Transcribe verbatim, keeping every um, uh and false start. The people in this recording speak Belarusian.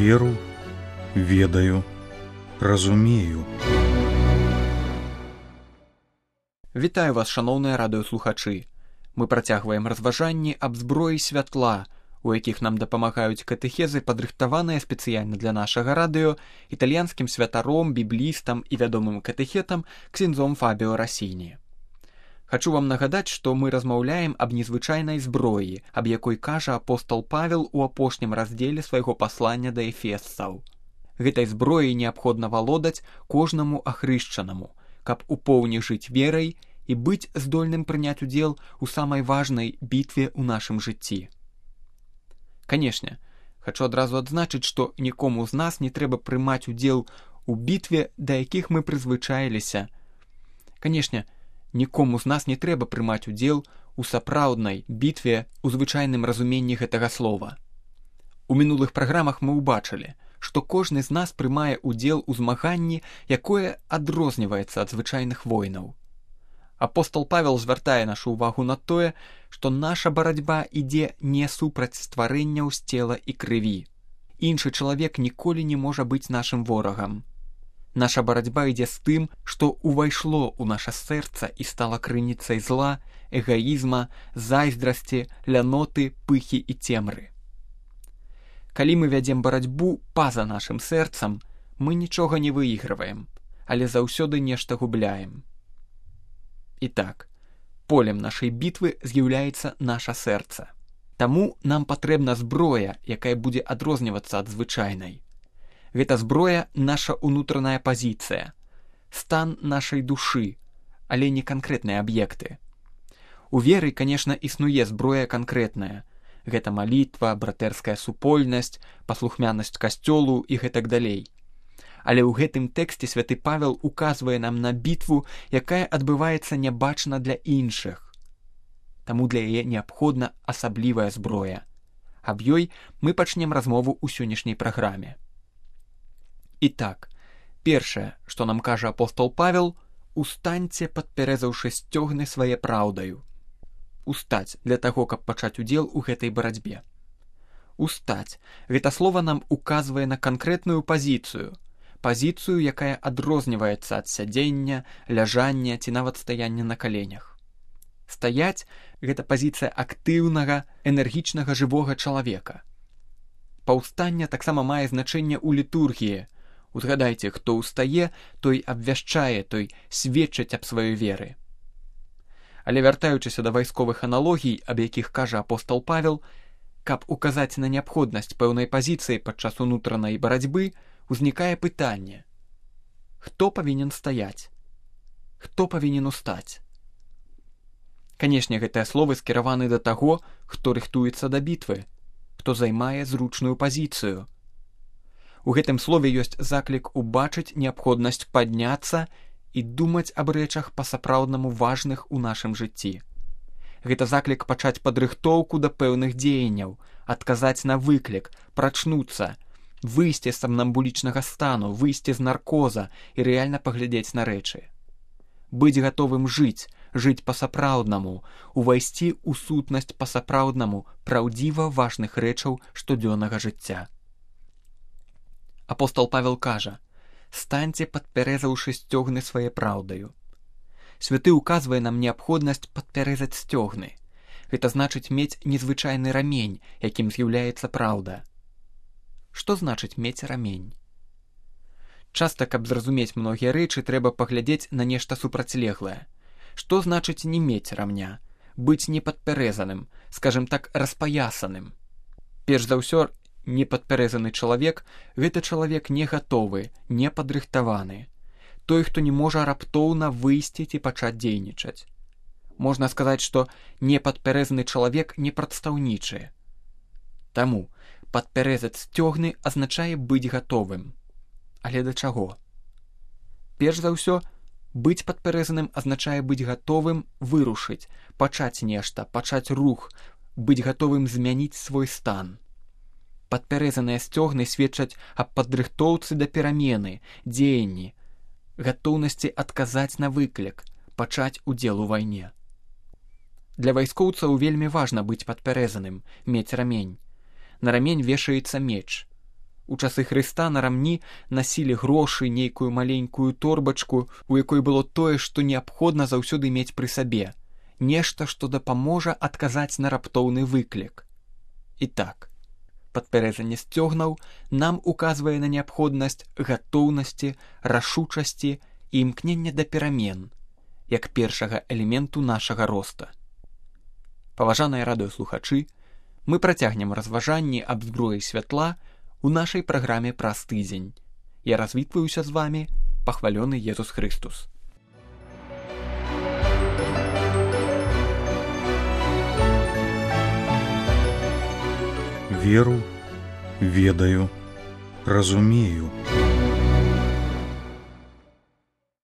веру, ведаю, разумею. Вітаю вас, шаноўныя радыёслухачы. Мы працягваем разважанні аб зброі святла, у якіх нам дапамагаюць катэхезы, падрыхтаваныя спецыяльна для нашага радыё італьянскім святаром, біблістам і вядомым катэхетам ксяндзом Фабіо Расіні. Хачу вам нагадаць, што мы размаўляем аб незвычайнай зброі, аб якой кажа апостол Павел у апошнім раздзеле свайго паслання да эфесцаў. Гэтай зброяй неабходна валодаць кожнаму ахрышчанаму, каб у поўні жыць верай і быць здольным прыняць удзел у самай важнай бітве ў нашым жыцці. Канешне, хачу адразу адзначыць, што нікому з нас не трэба прымаць удзел у бітве, да якіх мы прызвычаіліся. Канешне, нікому з нас не трэба прымаць удзел у сапраўднай бітве ў звычайным разуменні гэтага слова. У мінулых праграмах мы ўбачылі, што кожны з нас прымае ўдзел у змаганні, якое адрозніваецца ад звычайных войнаў. Апостол Павел звяртае нашу ўвагу на тое, што наша барацьба ідзе не супраць стварэнняў з цела і крыві. Іншы чалавек ніколі не можа быць нашым ворагам. Наша барацьба ідзе з тым, што ўвайшло ў наша сэрца і стала крыніцай зла, эгаізма, зайздрасці, ляноты, пыхі і цемры. Калі мы вядзем барацьбу па-за нашым сэрцам, мы нічога не выігрываем, але заўсёды нешта губляем. І так, полем нашай бітвы з'яўляецца наша сэрца. Таму нам патрэбна зброя, якая будзе адрознівацца ад звычайнай. Гэта зброя — наша ўнутраная пазіцыя, стан нашай душы, але не канкрэтныя аб'екты. У веры, канешне, існуе зброя канкрэтная. Гэта малітва, братэрская супольнасць, паслухмянасць касцёлу і гэтак далей. Але ў гэтым тэксце святы Павел указвае нам на бітву, якая адбываецца нябачна для іншых. Таму для яе неабходна асаблівая зброя. Аб ёй мы пачнем размову ў сённяшняй праграме. І так, першае, што нам кажа апостол Павел, устаньце, падпярэзаўшы сцёгны свае праўдаю. Устаць для таго, каб пачаць удзел у гэтай барацьбе. Устаць — гэта слова нам указвае на канкрэтную пазіцыю, пазіцыю, якая адрозніваецца ад сядзення, ляжання ці нават стаяння на каленях. Стаяць — гэта пазіцыя актыўнага, энергічнага жывога чалавека. Паўстанне таксама мае значэнне ў літургіі. Узгадайце, хто ўстае, той абвяшчае, той сведчыць аб сваёй веры. Але вяртаючыся да вайсковых аналогій, аб якіх кажа апостол Павел, каб указаць на неабходнасць пэўнай пазіцыі падчас унутранай барацьбы, узнікае пытанне: хто павінен стаяць? Хто павінен устаць? Канешне, гэтыя словы скіраваны да таго, хто рыхтуецца да бітвы, хто займае зручную пазіцыю. У гэтым слове ёсць заклік убачыць неабходнасць падняцца і думаць аб рэчах па-сапраўднаму важных у нашым жыцці. Гэта заклік пачаць падрыхтоўку да пэўных дзеянняў, адказаць на выклік, прачнуцца, выйсці з самнамбулічнага стану, выйсці з наркоза і рэальна паглядзець на рэчы. Быць гатовым жыць, жыць па-сапраўднаму, увайсці ў сутнасць па-сапраўднаму праўдзіва важных рэчаў штодзённага жыцця. Апостол Павел кажа: станьце, падпярэзаўшы сцёгны свае праўдаю. Святы указвае нам неабходнасць падпярэзаць сцёгны. Гэта значыць мець незвычайны рамень, якім з'яўляецца праўда. Што значыць мець рамень? Часта, каб зразумець многія рэчы, трэба паглядзець на нешта супрацьлеглае. Што значыць не мець рамня? Быць непадпярэзаным, скажем так, распаясаным. Перш за ўсё, непадпярэзаны чалавек — гэта чалавек не гатовы, не падрыхтаваны. Той, хто не можа раптоўна выйсці ці пачаць дзейнічаць. Можна сказаць, што непадпярэзаны чалавек не прадстаўнічы. Таму падпярэзаць сцёгны азначае быць гатовым. Але да чаго? Перш за ўсё, быць падпярэзаным азначае быць гатовым вырушыць, пачаць нешта, пачаць рух, быць гатовым змяніць свой стан. Падпярэзаныя сцёгны сведчаць аб падрыхтоўцы да перамены, дзеянні, гатоўнасці адказаць на выклік, пачаць удзел у вайне. Для вайскоўцаў вельмі важна быць падпярэзаным, мець рамень. На рамень вешаецца меч. У часы Хрыста на рамні насілі грошы, нейкую маленькую торбачку, у якой было тое, што неабходна заўсёды мець пры сабе. Нешта, што дапаможа адказаць на раптоўны выклік. І так, падпярэзанне сцёгнаў нам указвае на неабходнасць гатоўнасці, рашучасці і імкнення да перамен, як першага элементу нашага роста. Паважаныя радыёслухачы, мы працягнем разважанні аб зброі святла у нашай праграме праз тыдзень. Я развітваюся з вамі, пахвалёны Езус Хрыстус. Веру, ведаю, разумею.